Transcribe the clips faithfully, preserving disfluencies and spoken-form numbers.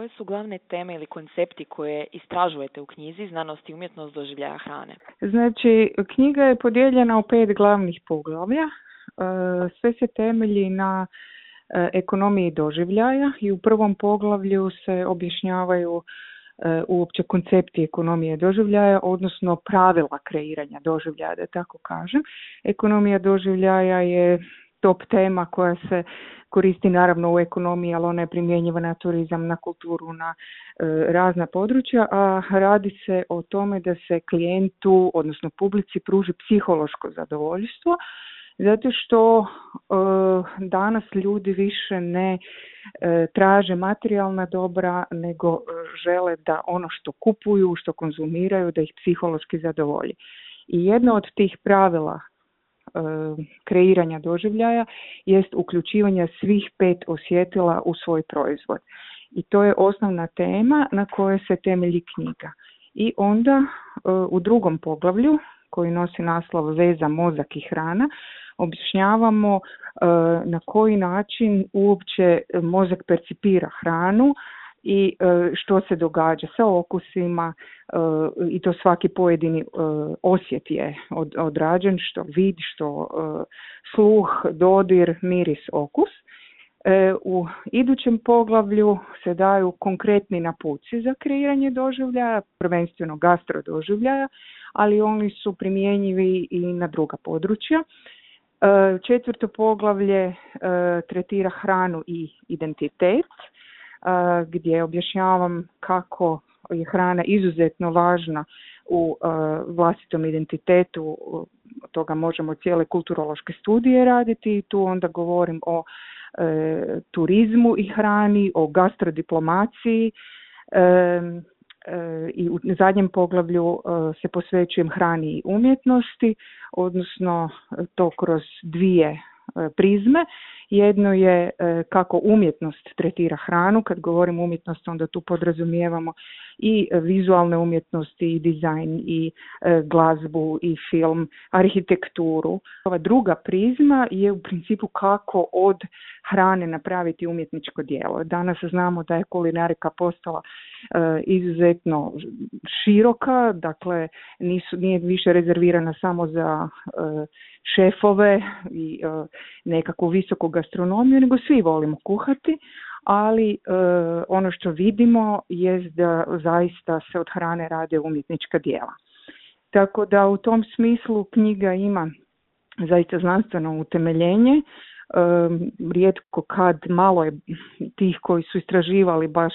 koje su glavne teme ili koncepti koje istražujete u knjizi Znanost i umjetnost doživljaja hrane? Znači, knjiga je podijeljena u pet glavnih poglavlja. Sve se temelji na ekonomiji doživljaja i u prvom poglavlju se objašnjavaju uopće koncepti ekonomije doživljaja, odnosno pravila kreiranja doživljaja, da tako kažem. Ekonomija doživljaja je top tema koja se koristi naravno u ekonomiji, ali ona je primjenjiva na turizam, na kulturu, na e, razna područja, a radi se o tome da se klijentu, odnosno publici, pruži psihološko zadovoljstvo, zato što e, danas ljudi više ne e, traže materijalna dobra, nego e, žele da ono što kupuju, što konzumiraju, da ih psihološki zadovolji. I jedno od tih pravila kreiranja doživljaja jest uključivanje svih pet osjetila u svoj proizvod. I to je osnovna tema na kojoj se temelji knjiga. I onda u drugom poglavlju, koji nosi naslov Veza mozak i hrana, objašnjavamo na koji način uopće mozak percipira hranu i što se događa sa okusima, i to svaki pojedini osjet je odrađen, što vid, što sluh, dodir, miris, okus. U idućem poglavlju se daju konkretni napuci za kreiranje doživljaja, prvenstveno gastro doživljaja, ali oni su primjenjivi i na druga područja. Četvrto poglavlje tretira hranu i identitet, gdje objašnjavam kako je hrana izuzetno važna u vlastitom identitetu. Od toga možemo cijele kulturološke studije raditi i tu onda govorim o e, turizmu i hrani, o gastrodiplomaciji e, e, i u zadnjem poglavlju e, se posvećujem hrani i umjetnosti, odnosno to kroz dvije prizme. Jedno je kako umjetnost tretira hranu. Kad govorim umjetnost, onda tu podrazumijevamo i vizualne umjetnosti, i dizajn, i glazbu, i film, arhitekturu. Ova druga prizma je u principu kako od hrane napraviti umjetničko djelo. Danas znamo da je kulinarika postala izuzetno široka, dakle nisu, nije više rezervirana samo za šefove i nekakvu visoku gastronomiju, nego svi volimo kuhati, ali e, ono što vidimo je da zaista se od hrane rade umjetnička djela. Tako da u tom smislu knjiga ima zaista znanstveno utemeljenje. E, rijetko kad, malo je tih koji su istraživali baš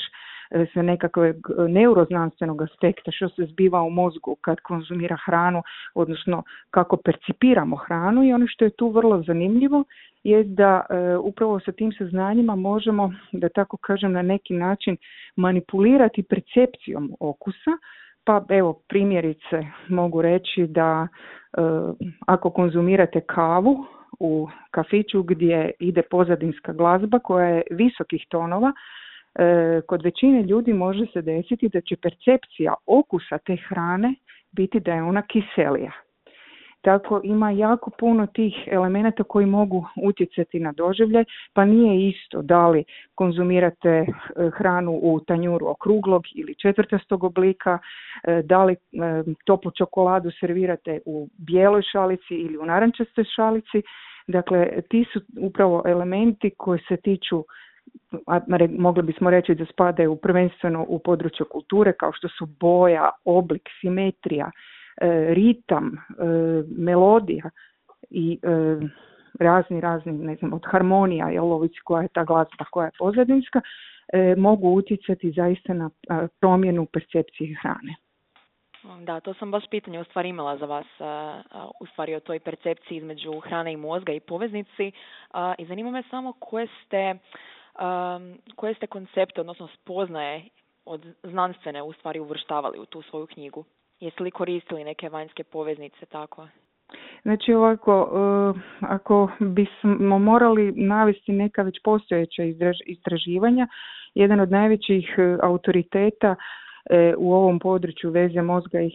sa nekakvog neuroznanstvenog aspekta što se zbiva u mozgu kad konzumira hranu, odnosno kako percipiramo hranu, i ono što je tu vrlo zanimljivo je da e, upravo sa tim saznanjima možemo, da tako kažem, na neki način manipulirati percepcijom okusa. Pa evo, primjerice mogu reći da e, ako konzumirate kavu u kafiću gdje ide pozadinska glazba koja je visokih tonova, kod većine ljudi može se desiti da će percepcija okusa te hrane biti da je ona kiselija. Tako ima jako puno tih elemenata koji mogu utjecati na doživljaj, pa nije isto da li konzumirate hranu u tanjuru okruglog ili četvrtastog oblika, da li toplu čokoladu servirate u bijeloj šalici ili u narančastoj šalici. Dakle, ti su upravo elementi koji se tiču, mogli bismo reći da spadaju prvenstveno u područje kulture, kao što su boja, oblik, simetrija, ritam, melodija i razni, razni, ne znam, od harmonija, jel, ovisi koja je ta glazba, koja je pozadinska, mogu utjecati zaista na promjenu percepcije hrane. Da, to sam baš pitanje u stvari imala za vas, u stvari o toj percepciji između hrane i mozga i poveznici, i zanima me samo koje ste Um, koje ste koncepte, odnosno spoznaje od znanstvene u stvari uvrštavali u tu svoju knjigu? Jeste li koristili neke vanjske poveznice tako? Znači ovako, uh, ako bismo morali navesti neka već postojeća istraživanja, jedan od najvećih uh, autoriteta uh, u ovom području veze mozga i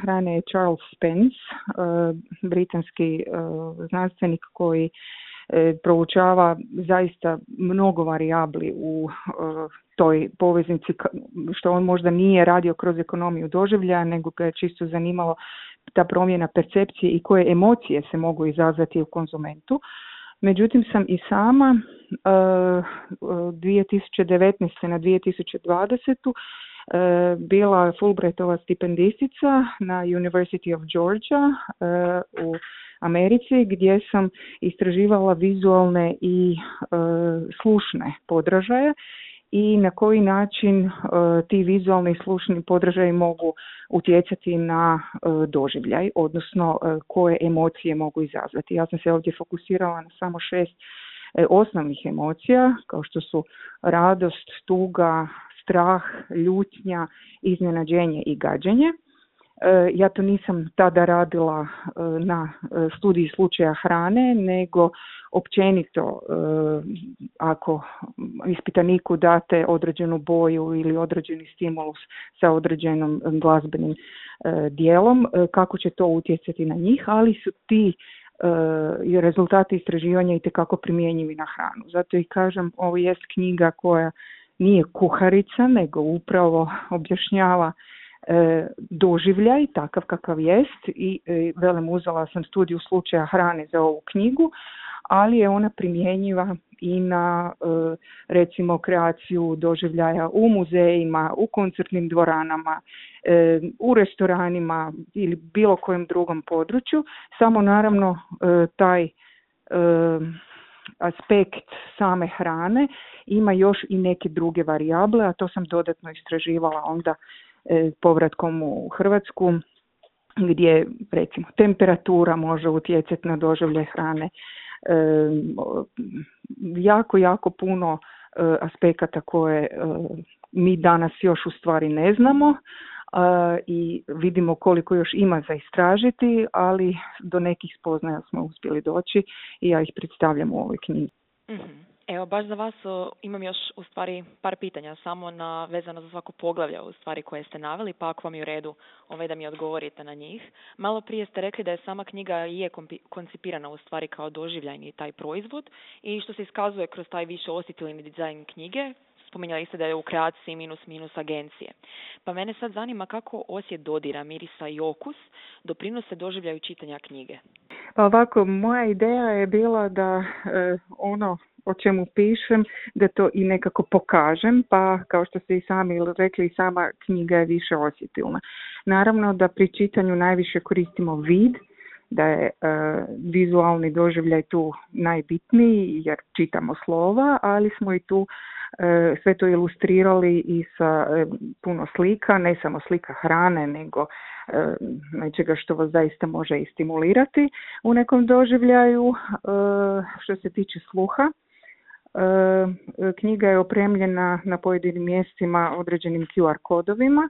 hrane je Charles Spence, uh, britanski uh, znanstvenik koji proučava zaista mnogo varijabli u toj poveznici, što on možda nije radio kroz ekonomiju doživljaja, nego ga je čisto zanimalo ta promjena percepcije i koje emocije se mogu izazvati u konzumentu. Međutim, sam i sama uh, dvije tisuće devetnaeste na dvije tisuće dvadesete uh, bila Fulbrightova stipendistica na University of Georgia uh, u Americi, gdje sam istraživala vizualne i uh, slušne podražaje i na koji način uh, ti vizualni i slušni podražaji mogu utjecati na uh, doživljaj, odnosno uh, koje emocije mogu izazvati. Ja sam se ovdje fokusirala na samo šest uh, osnovnih emocija, kao što su radost, tuga, strah, ljutnja, iznenađenje i gađenje. Ja to nisam tada radila na studiji slučaja hrane, nego općenito ako ispitaniku date određenu boju ili određeni stimulus sa određenom glazbenim dijelom, kako će to utjecati na njih, ali su ti rezultati istraživanja itekako primjenjivi na hranu. Zato i kažem, ovo jest knjiga koja nije kuharica, nego upravo objašnjava E, doživljaj, takav kakav jest i e, velim uzela sam studiju slučaja hrane za ovu knjigu, ali je ona primjenjiva i na e, recimo kreaciju doživljaja u muzejima, u koncertnim dvoranama, e, u restoranima ili bilo kojem drugom području, samo naravno e, taj e, aspekt same hrane ima još i neke druge varijable, a to sam dodatno istraživala onda povratkom u Hrvatsku, gdje recimo temperatura može utjecati na doživljaj hrane. E, jako, jako puno e, aspekata koje e, mi danas još u stvari ne znamo e, i vidimo koliko još ima za istražiti, ali do nekih spoznaja smo uspjeli doći i ja ih predstavljam u ovoj knjizi. Mm-hmm. Evo, baš za vas o, imam još u stvari par pitanja, samo na, vezano za svako poglavlje u stvari koje ste naveli, pa ako vam je u redu ovaj, da mi odgovorite na njih. Malo prije ste rekli da je sama knjiga i je kompi, koncipirana u stvari kao doživljajni taj proizvod i što se iskazuje kroz taj više osjetilni dizajn knjige. Spominjali ste da je u kreaciji minus minus agencije. Pa mene sad zanima kako osjet dodira, mirisa i okus doprinose doživljaju čitanja knjige. Pa ovako, moja ideja je bila da e, ono o čemu pišem, da to i nekako pokažem, pa kao što ste i sami rekli, sama knjiga je više osjetilna. Naravno da pri čitanju najviše koristimo vid, da je e, vizualni doživljaj tu najbitniji jer čitamo slova, ali smo i tu e, sve to ilustrirali i sa e, puno slika, ne samo slika hrane, nego e, nečega što vas zaista može i stimulirati u nekom doživljaju. E, što se tiče sluha, e, knjiga je opremljena na pojedinim mjestima određenim Q R kodovima,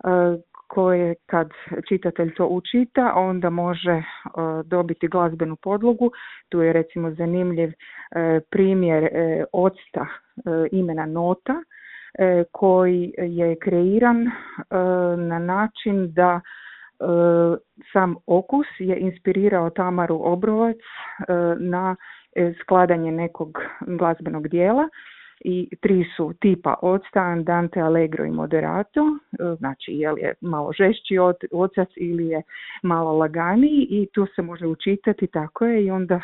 e, koje kad čitatelj to učita, onda može uh, dobiti glazbenu podlogu. Tu je recimo zanimljiv uh, primjer uh, octa uh, imena Nota, uh, koji je kreiran uh, na način da uh, sam okus je inspirirao Tamaru Obrovac uh, na uh, skladanje nekog glazbenog dijela. I tri su tipa octa, andante, allegro i moderato, znači je li je malo žešći ocac ili je malo laganiji i tu se može učitati, tako je, i onda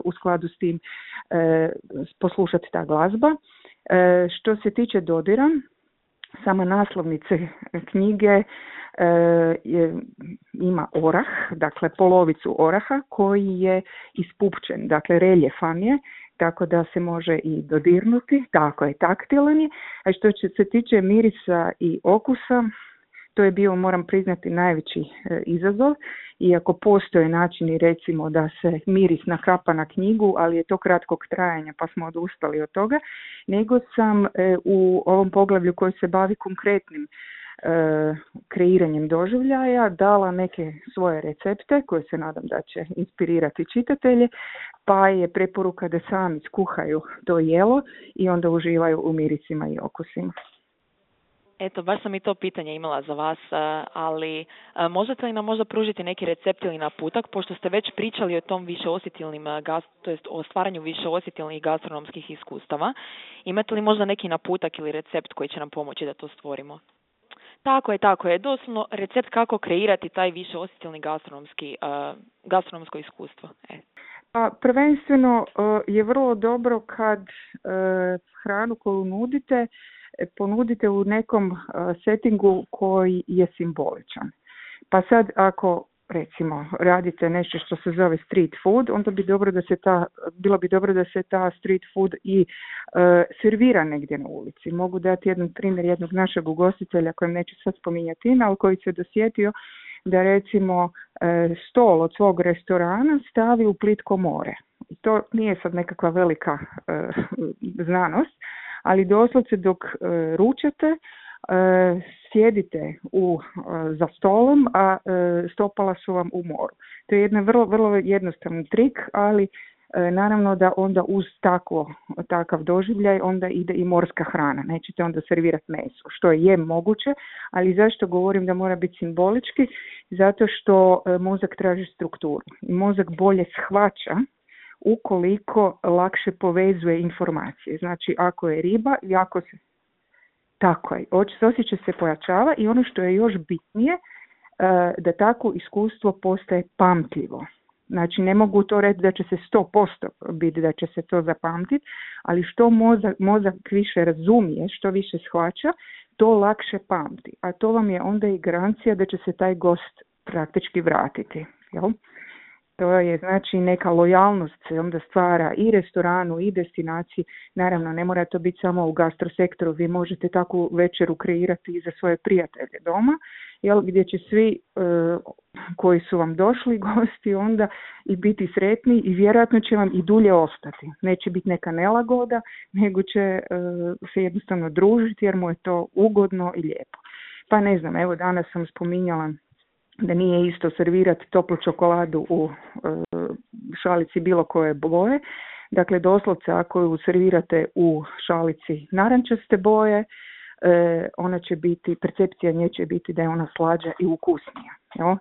u skladu s tim poslušati ta glazba. Što se tiče dodira, sama naslovnice knjige je, ima orah, dakle polovicu oraha koji je ispupčen, dakle reljefan je, tako da se može i dodirnuti, tako je, taktilan je. A što se tiče mirisa i okusa, to je bio, moram priznati, najveći e, izazov, iako postoje načini recimo da se miris nakapa na knjigu, ali je to kratkog trajanja pa smo odustali od toga, nego sam e, u ovom poglavlju koji se bavi konkretnim e, kreiranjem doživljaja dala neke svoje recepte koje se nadam da će inspirirati čitatelje, pa je preporuka da sami skuhaju to jelo i onda uživaju u mirisima i okusima. Eto, baš sam i to pitanje imala za vas, ali možete li nam možda pružiti neki recept ili naputak, pošto ste već pričali o tom više osjetilnim, to jest o stvaranju više osjetilnih gastronomskih iskustava. Imate li možda neki naputak ili recept koji će nam pomoći da to stvorimo? Tako je, tako je. Doslovno recept kako kreirati taj više osjetilni gastronomski, uh, gastronomsko iskustvo. E. Pa prvenstveno uh, je vrlo dobro kad uh, hranu koju nudite ponudite u nekom uh, settingu koji je simboličan. Pa sad ako recimo radite nešto što se zove street food, onda bi dobro da se ta, bilo bi dobro da se ta street food i uh, servira negdje na ulici. Mogu dati jedan primjer jednog našeg ugostitelja kojem neću sad spominjati ime, ali koji se dosjetio da recimo uh, stol od svog restorana stavi u plitko more. I to nije sad nekakva velika uh, znanost, ali doslovce dok uh, ručate, uh, sjedite u, uh, za stolom, a uh, stopala su vam u moru. To je jedan vrlo, vrlo jednostavan trik, ali uh, naravno da onda uz takvo, takav doživljaj onda ide i morska hrana. Nećete onda servirati meso, što je moguće, ali zašto govorim da mora biti simbolički? Zato što uh, mozak traži strukturu. I mozak bolje shvaća ukoliko lakše povezuje informacije. Znači, ako je riba, jako se... Tako je, osjećaj se pojačava i ono što je još bitnije, da takvo iskustvo postaje pamtljivo. Znači, ne mogu to reći da će se sto posto biti da će se to zapamtiti, ali što mozak, mozak više razumije, što više shvaća, to lakše pamti. A to vam je onda i garancija da će se taj gost praktički vratiti. Jel? To je znači neka lojalnost se onda stvara i restoranu i destinaciji. Naravno, ne mora to biti samo u gastrosektoru, vi možete takvu večeru kreirati i za svoje prijatelje doma, jel, gdje će svi e, koji su vam došli gosti onda i biti sretni i vjerojatno će vam i dulje ostati. Neće biti neka nelagoda, nego će e, se jednostavno družiti jer mu je to ugodno i lijepo. Pa ne znam, evo danas sam spominjala da nije isto servirati toplu čokoladu u e, šalici bilo koje boje. Dakle, doslovce ako ju servirate u šalici narančaste boje, e, ona će biti, percepcija nje će biti da je ona slađa i ukusnija. Jo?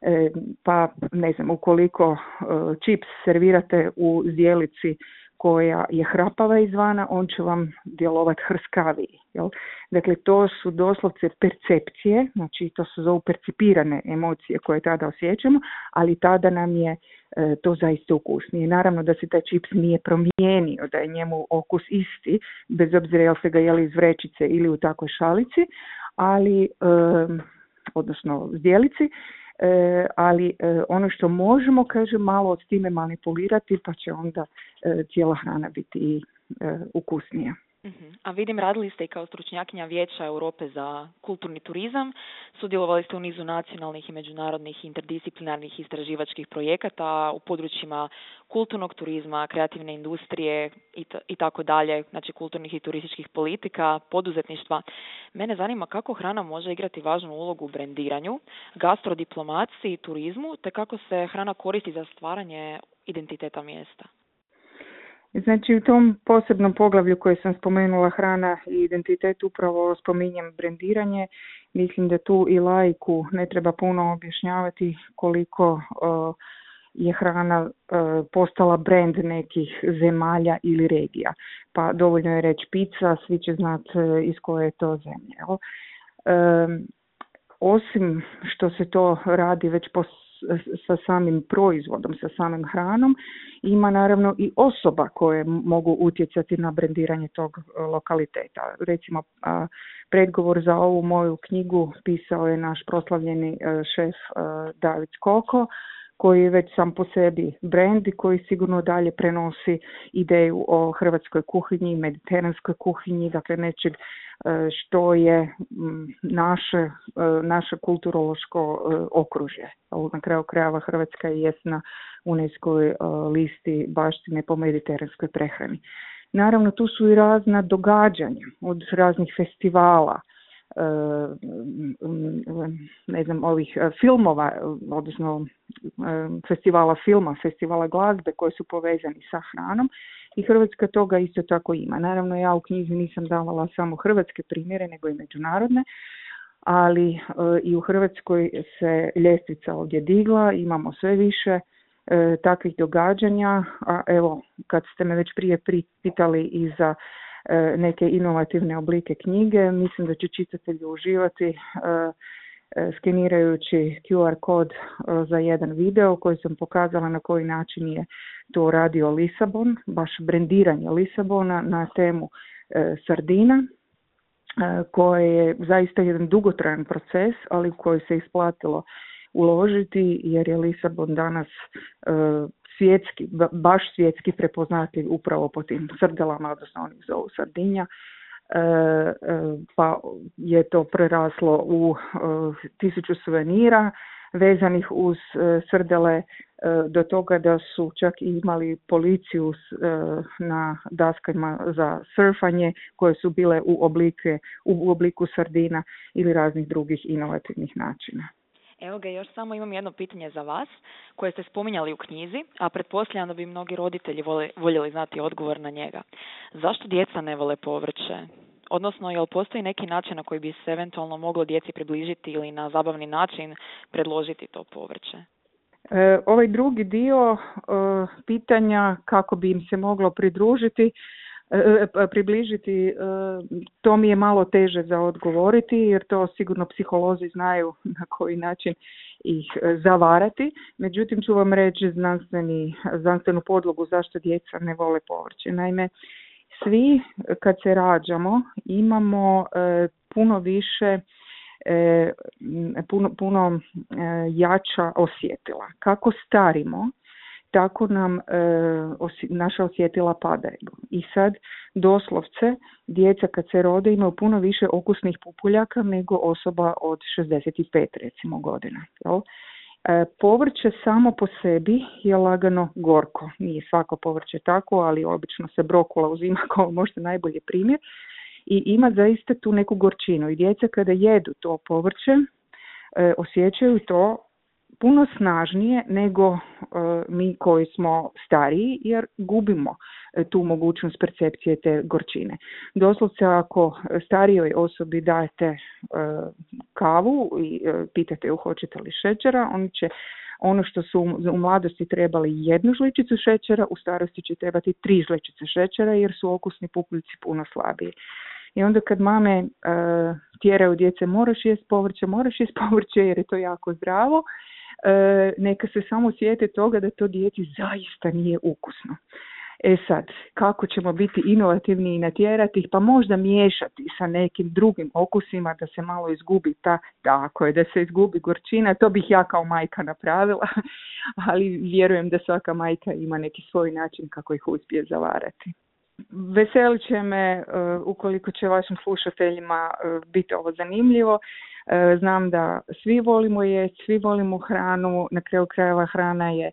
E, pa ne znam, ukoliko e, čips servirate u zdjelici koja je hrapava izvana, on će vam djelovati hrskaviji. Jel? Dakle, to su doslovce percepcije, znači to su zovu percipirane emocije koje tada osjećamo, ali tada nam je e, to zaista ukusnije. Naravno da se taj čips nije promijenio, da je njemu okus isti, bez obzira jel se ga jeli iz vrećice ili u takvoj šalici, ali, e, odnosno zdjelici, E, ali e, ono što možemo, kaže, malo s time manipulirati, pa će onda e, cijela hrana biti i e, ukusnija. Uh-huh. A vidim, radili ste i kao stručnjakinja Vijeća Europe za kulturni turizam, sudjelovali ste u nizu nacionalnih i međunarodnih interdisciplinarnih istraživačkih projekata u područjima kulturnog turizma, kreativne industrije i, t- i tako dalje, znači kulturnih i turističkih politika, poduzetništva. Mene zanima kako hrana može igrati važnu ulogu u brendiranju, gastrodiplomaciji i turizmu, te kako se hrana koristi za stvaranje identiteta mjesta. Znači u tom posebnom poglavlju koje sam spomenula, hrana i identitet, upravo spominjem brendiranje. Mislim da tu i laiku ne treba puno objašnjavati koliko uh, je hrana uh, postala brend nekih zemalja ili regija. Pa dovoljno je reći pizza, svi će znati uh, iz koje je to zemlje. Um, osim što se to radi već po sa samim proizvodom, sa samim hranom, ima naravno i osoba koje mogu utjecati na brendiranje tog lokaliteta. Recimo, predgovor za ovu moju knjigu pisao je naš proslavljeni šef David Skoko, koji je već sam po sebi brend i koji sigurno dalje prenosi ideju o hrvatskoj kuhinji, mediteranskoj kuhinji, dakle nečeg što je naše, naše kulturološko okružje. Na kraju krajeva Hrvatska je na UNESCO-voj listi baštine po mediteranskoj prehrani. Naravno, tu su i razna događanja, od raznih festivala, ne znam, ovih filmova, odnosno festivala filma, festivala glazbe koji su povezani sa hranom i Hrvatska toga isto tako ima. Naravno, ja u knjizi nisam davala samo hrvatske primjere, nego i međunarodne, ali e, i u Hrvatskoj se ljestvica ovdje digla, imamo sve više e, takvih događanja, a evo, kad ste me već prije pitali i za e, neke inovativne oblike knjige, mislim da će čitatelji uživati e, skenirajući Q R kod za jedan video koji sam pokazala na koji način je to radio Lisabon, baš brendiranje Lisabona na temu e, sardina, e, koje je zaista jedan dugotrajan proces, ali u koji se isplatilo uložiti jer je Lisabon danas e, svjetski, baš svjetski prepoznatljiv upravo po tim srdelama, odnosno oni zovu sardinja. Pa je to preraslo u tisuću suvenira vezanih uz srdele, do toga da su čak imali policiju na daskama za surfanje koje su bile u, oblike, u obliku sardina ili raznih drugih inovativnih načina. Evo ga, još samo imam jedno pitanje za vas koje ste spominjali u knjizi, a pretpostavljam da bi mnogi roditelji vole, voljeli znati odgovor na njega. Zašto djeca ne vole povrće? Odnosno, jel postoji neki način na koji bi se eventualno moglo djeci približiti ili na zabavni način predložiti to povrće? E, ovaj drugi dio e, pitanja kako bi im se moglo pridružiti, e, približiti, e, to mi je malo teže za odgovoriti jer to sigurno psiholozi znaju na koji način ih zavarati. Međutim, ću vam reći znanstveni, znanstvenu podlogu zašto djeca ne vole povrće. Naime, svi kad se rađamo imamo e, puno više, e, puno, puno e, jača osjetila. Kako starimo, tako nam e, osi, naša osjetila padaju. I sad doslovce djeca kad se rode imaju puno više okusnih pupuljaka nego osoba od šezdeset pet recimo godina. Jel? E, povrće samo po sebi je lagano gorko. Nije svako povrće tako, ali obično se brokula uzima kao možda najbolji primjer. I ima zaista tu neku gorčinu. I djeca kada jedu to povrće e, osjećaju to puno snažnije nego e, mi koji smo stariji jer gubimo e, tu mogućnost percepcije te gorčine. Doslovce ako starijoj osobi dajete e, kavu i e, pitate ju hoćete li šećera, oni će ono što su u mladosti trebali jednu žličicu šećera, u starosti će trebati tri žličice šećera jer su okusni pupuljci puno slabiji. I onda kad mame e, tjeraju djece moraš jest povrće, moraš jest povrće jer je to jako zdravo, e, neka se samo sjete toga da to djeci zaista nije ukusno. E sad, kako ćemo biti inovativni i natjerati ih, pa možda miješati sa nekim drugim okusima da se malo izgubi ta, tako je, da se izgubi gorčina, to bih ja kao majka napravila, ali vjerujem da svaka majka ima neki svoj način kako ih uspije zavarati. Veselit će me uh, ukoliko će vašim slušateljima uh, biti ovo zanimljivo. Uh, znam da svi volimo jesti, svi volimo hranu, na kraju krajeva hrana je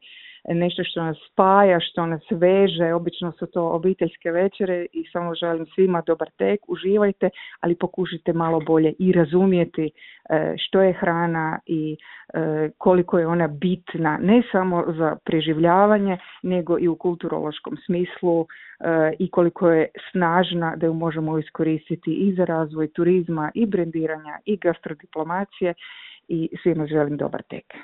nešto što nas spaja, što nas veže, obično su to obiteljske večere i samo želim svima dobar tek, uživajte, ali pokušajte malo bolje i razumjeti što je hrana i koliko je ona bitna, ne samo za preživljavanje, nego i u kulturološkom smislu i koliko je snažna da ju možemo iskoristiti i za razvoj turizma i brendiranja i gastrodiplomacije i svima želim dobar tek.